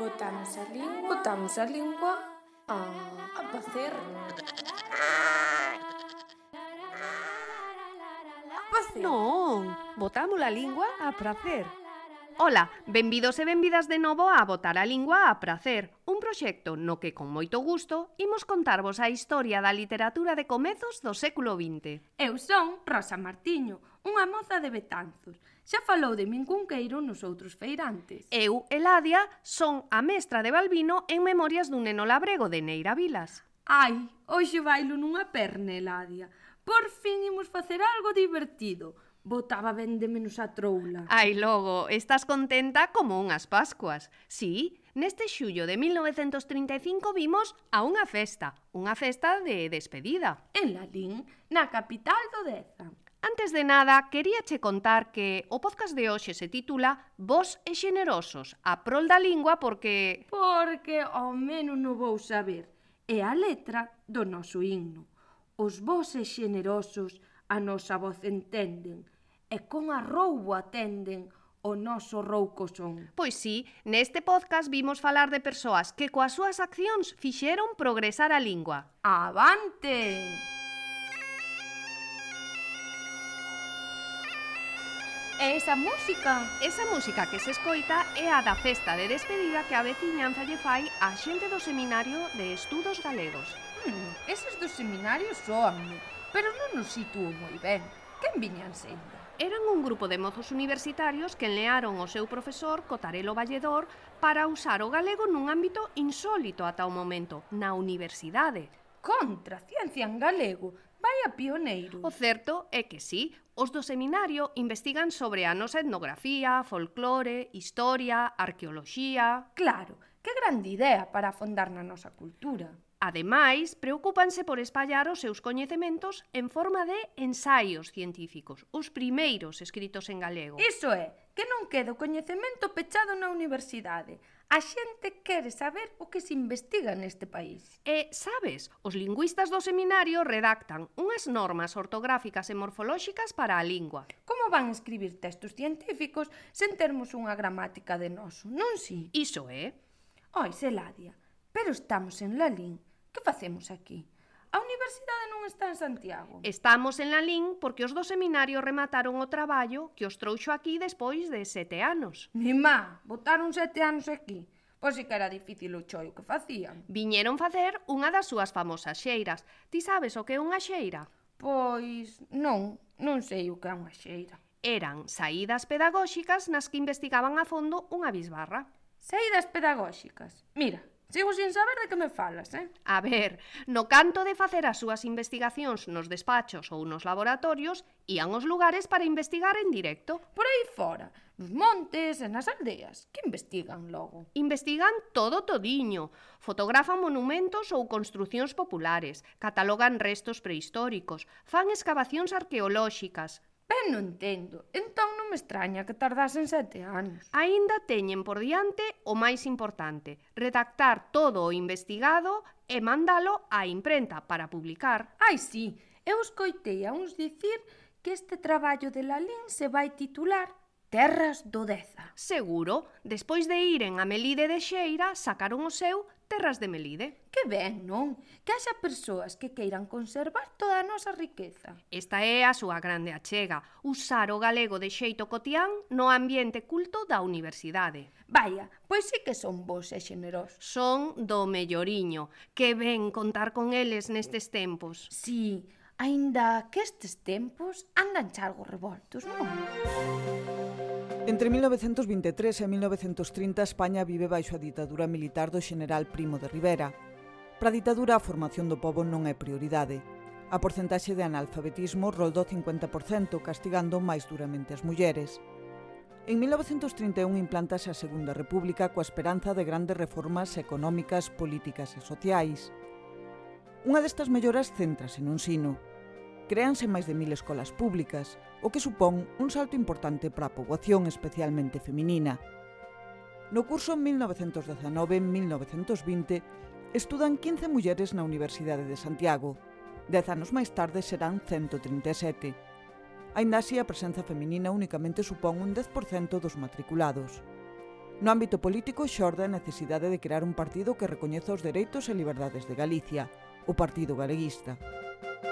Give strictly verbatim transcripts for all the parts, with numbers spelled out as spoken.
Botamos a lingua, botamos a lingua a, a facer. A facer. Non, botamos a lingua a pracer. Ola, benvidos e benvidas de novo a Botar a Lingua a Pracer, un proxecto no que con moito gusto imos contarvos a historia da literatura de comezos do século vinte. Eu son Rosa Martiño, unha moza de Betanzos. Xa falou de min Cunqueiro nos outros feirantes. Eu, Eladia, son a mestra de Balbino en Memorias dun neno labrego de Neira Vilas. Ai, hoxe bailo nunha perna, Eladia. Por fin imos facer algo divertido. Botaba ben de menos a troula. Ai, logo, estás contenta como unhas Pascuas. Sí, neste xullo de mil novecentos trinta e cinco vimos a unha festa, unha festa de despedida. En Lalín, na capital do Deza. Antes de nada, queríache contar que o podcast de hoxe se titula Vos e xenerosos, a prol da lingua porque... Porque ao menos non vou saber. É a letra do noso himno. Os vos e xenerosos a nosa voz entenden, e con arroubo atenden o noso rouco son. Pois sí, neste podcast vimos falar de persoas que coas súas accións fixeron progresar a lingua. Avante! E esa música? Esa música que se escoita é a da festa de despedida que a veciñanza lle fai á xente do Seminario de Estudos Galegos. Hmm, eses dos seminarios soanme, pero non nos sitúo moi ben. Quen viñan sendo? Eran un grupo de mozos universitarios que enlearon o seu profesor Cotarelo Valledor para usar o galego nun ámbito insólito ata o momento, na universidade. Contra, ciencia en galego, vai a pioneiro. O certo é que sí, os do seminario investigan sobre a nosa etnografía, folclore, historia, arqueoloxía... Claro, que grande idea para afondar na nosa cultura. Ademais, preocúpanse por espallar os seus coñecementos en forma de ensaios científicos, os primeiros escritos en galego. Iso é, que non quede o coñecemento pechado na universidade. A xente quere saber o que se investiga neste país. E, sabes, os lingüistas do seminario redactan unhas normas ortográficas e morfolóxicas para a lingua. Como van escribir textos científicos sen termos unha gramática de noso, non si? Iso é. Oi, Eladia, pero estamos en Lalín. Que facemos aquí? A universidade non está en Santiago. Estamos en Lalín porque os do seminario remataron o traballo que os trouxo aquí despois de sete anos. Mi má, botaron sete anos aquí. Pois si que era difícil o choio que facían. Viñeron facer unha das súas famosas xeiras. Ti sabes o que é unha xeira? Pois non, non sei o que é unha xeira. Eran saídas pedagóxicas nas que investigaban a fondo unha bisbarra. Saídas pedagóxicas? Mira, sigo sin saber de que me falas, eh? A ver, no canto de facer as súas investigacións nos despachos ou nos laboratorios, ían aos lugares para investigar en directo. Por aí fora, nos montes e nas aldeas. Que investigan logo? Investigan todo todiño. Fotografan monumentos ou construcións populares, catalogan restos prehistóricos, fan escavacións arqueolóxicas. Ben, non entendo. Entón non me extraña que tardasen sete anos. Aínda teñen por diante o máis importante, redactar todo o investigado e mandalo á imprenta para publicar. Ai, sí, eu escoitei a uns dicir que este traballo de Lalín se vai titular Terras do Deza. Seguro, despois de iren a Melide de Xeira, sacaron o seu Terras de Melide. Que ben, non? Que haxa persoas que queiran conservar toda a nosa riqueza. Esta é a súa grande achega, usar o galego de xeito cotián no ambiente culto da universidade. Vaya, pois sí que son vos e xenerosos. Son do melloriño, que ven contar con eles nestes tempos. Sí, aínda que estes tempos andan chalgo revoltos, non? Entre mil novecentos vinte e tres e mil novecentos trinta, España vive baixo a ditadura militar do xeneral Primo de Rivera. Para a ditadura, a formación do pobo non é prioridade. A porcentaxe de analfabetismo roldou cincuenta por cento, castigando máis duramente as mulleres. En mil novecentos trinta e un implántase a Segunda República coa esperanza de grandes reformas económicas, políticas e sociais. Unha destas melloras céntrase no ensino. Créanse máis de mil escolas públicas, o que supón un salto importante para a poboación especialmente feminina. No curso mil novecentos dezanove - mil novecentos vinte estudan quince mulleres na Universidade de Santiago. Dez anos máis tarde serán ciento trinta e sete. Aínda así, a presenza feminina únicamente supón un dez por cento dos matriculados. No ámbito político xorde a necesidade de crear un partido que recoñeza os dereitos e liberdades de Galicia, o Partido Galeguista.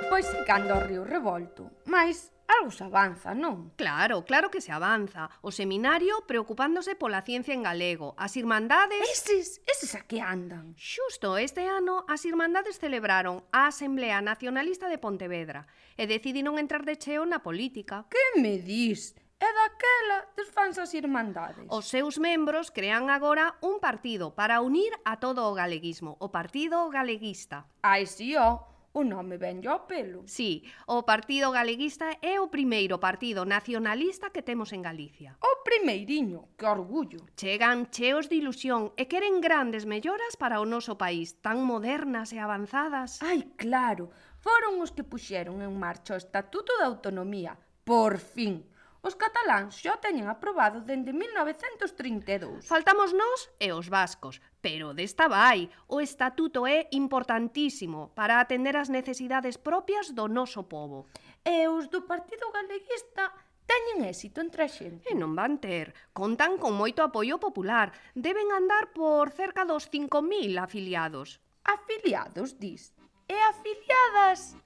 Pois cando o río revolto, mas algo se avanza, non? Claro, claro que se avanza. O seminario preocupándose pola ciencia en galego, as irmandades... Eses, eses a que andan? Xusto este ano, as irmandades celebraron a Asamblea Nacionalista de Pontevedra e decidiron entrar de cheo na política. Que me dis? E daquela desfanse as irmandades. Os seus membros crean agora un partido para unir a todo o galeguismo, o Partido Galeguista. Ai, si, ó, o nome venlle ao pelo. Sí, o Partido Galeguista é o primeiro partido nacionalista que temos en Galicia. O primeiriño, que orgullo. Chegan cheos de ilusión e queren grandes melloras para o noso país, tan modernas e avanzadas. Ai, claro, foron os que puxeron en marcha o Estatuto de Autonomía. Por fin. Os cataláns xa o teñen aprobado dende mil novecentos trinta e dous. Faltamos nós e os vascos, pero desta vai. O estatuto é importantísimo para atender as necesidades propias do noso pobo. E os do Partido Galeguista teñen éxito entre a xente. E non van ter. Contan con moito apoio popular. Deben andar por cerca dos cinco mil afiliados. Afiliados, dis? E afiliadas?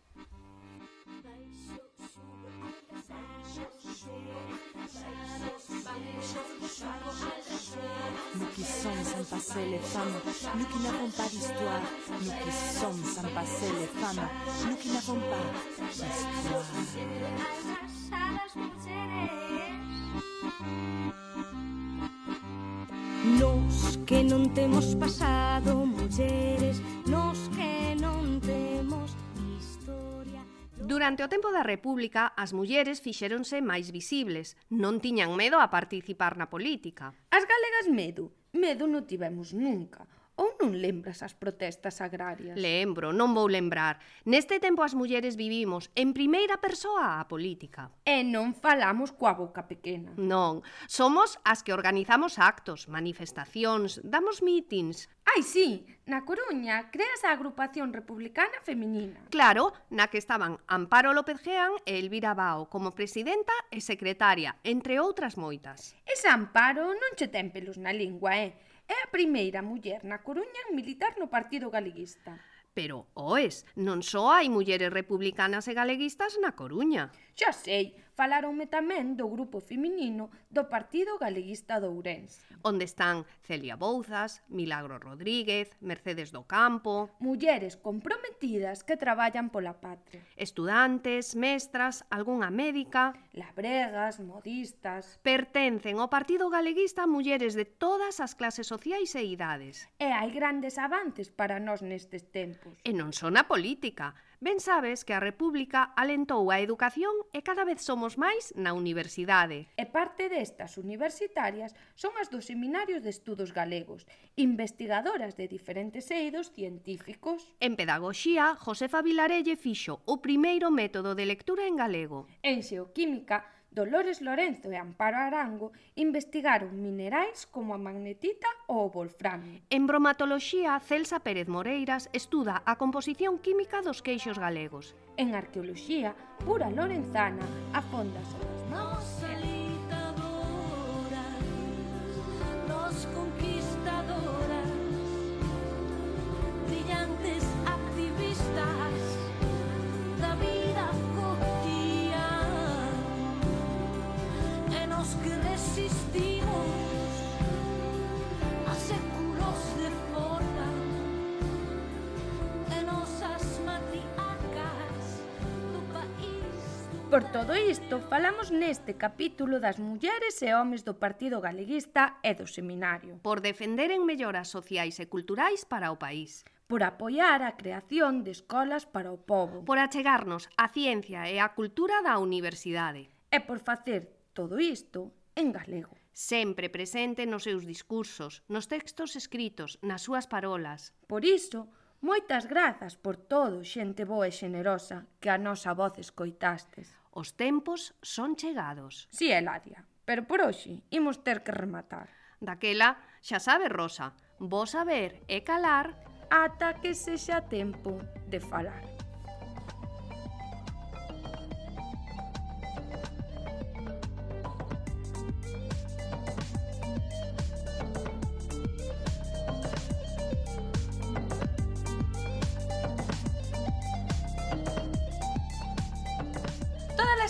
Nous qui sommes sans passer les femmes, nous qui n'avons pas d'histoire, nous qui sommes sans passer les femmes, nous qui n'avons pas d'histoire. Nos que non temos pasado, mulleres, nos que non temos historia. Durante o tempo da República, as mulleres fixéronse máis visibles. Non tiñan medo a participar na política. As galegas medo, medo non tivemos nunca. Ou non lembras as protestas agrarias? Lembro, non vou lembrar. Neste tempo as mulleres vivimos en primeira persoa a política. E non falamos coa boca pequena. Non, somos as que organizamos actos, manifestacións, damos mítins. Ai, sí, na Coruña creas a Agrupación Republicana Feminina. Claro, na que estaban Amparo López Geán e Elvira Bao como presidenta e secretaria, entre outras moitas. Esa Amparo non che ten pelos na lingua, eh? É a primeira muller na Coruña en militar no Partido Galeguista. Pero, oes, non só hai mulleres republicanas e galeguistas na Coruña. Xa sei, falaronme tamén do grupo feminino do Partido Galeguista de Ourense. Onde están Celia Bouzas, Milagro Rodríguez, Mercedes do Campo... Mulleres comprometidas que traballan pola patria. Estudantes, mestras, algunha médica... Labregas, modistas... Pertencen ao Partido Galeguista mulleres de todas as clases sociais e idades. E hai grandes avances para nós nestes tempos. E non son a política. Ben sabes que a República alentou a educación e cada vez somos máis na universidade. E parte destas universitarias son as dos seminarios de estudos galegos, investigadoras de diferentes eidos científicos. En pedagogía, Josefa Vilarelle fixo o primeiro método de lectura en galego. En xeoquímica, Dolores Lorenzo e Amparo Arango investigaron minerais como a magnetita ou o wolframio. En bromatoloxía, Celsa Pérez Moreiras estuda a composición química dos queixos galegos. En arqueoloxía, Pura Lorenzana afonda sobre as mãos. Nos conquistadoras, brillantes activistas da vida cotidiana, e nos que resistimos a séculos de forra, e nosas matriarcas do país. Por todo isto, falamos neste capítulo das mulleres e homes do Partido Galeguista e do Seminario. Por defenderen melloras sociais e culturais para o país. Por apoiar a creación de escolas para o pobo. Por achegarnos a ciencia e a cultura da universidade. E por facer todo isto en galego. Sempre presente nos seus discursos, nos textos escritos, nas súas parolas. Por iso, moitas grazas por todo, xente boa e xenerosa, que a nosa voz escoitastes. Os tempos son chegados. Si, Eladia, pero por hoxe imos ter que rematar. Daquela, xa sabe, Rosa, vos saber e calar ata que sexa tempo de falar.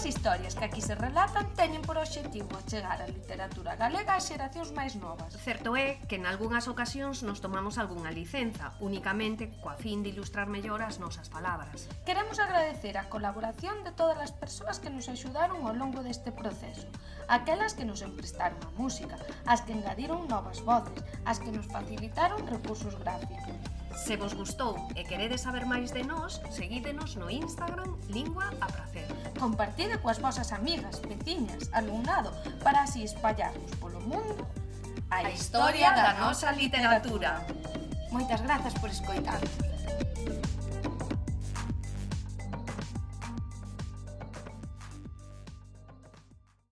As historias que aquí se relatan teñen por obxectivo achegar a literatura galega ás xeracións máis novas. Certo é que en algunhas ocasións nos tomamos algunha licenza, únicamente coa fin de ilustrar mellor as nosas palabras. Queremos agradecer a colaboración de todas as persoas que nos axudaron ao longo deste proceso, aquelas que nos emprestaron a música, as que engadiron novas voces, as que nos facilitaron recursos gráficos. Se vos gustou e queredes saber máis de nós, seguídenos no Instagram Lingua a Pracer. Compartide coas vosas amigas, veciñas, alumnado, para así espallarnos polo mundo a historia da nosa literatura. Moitas grazas por escoitarnos.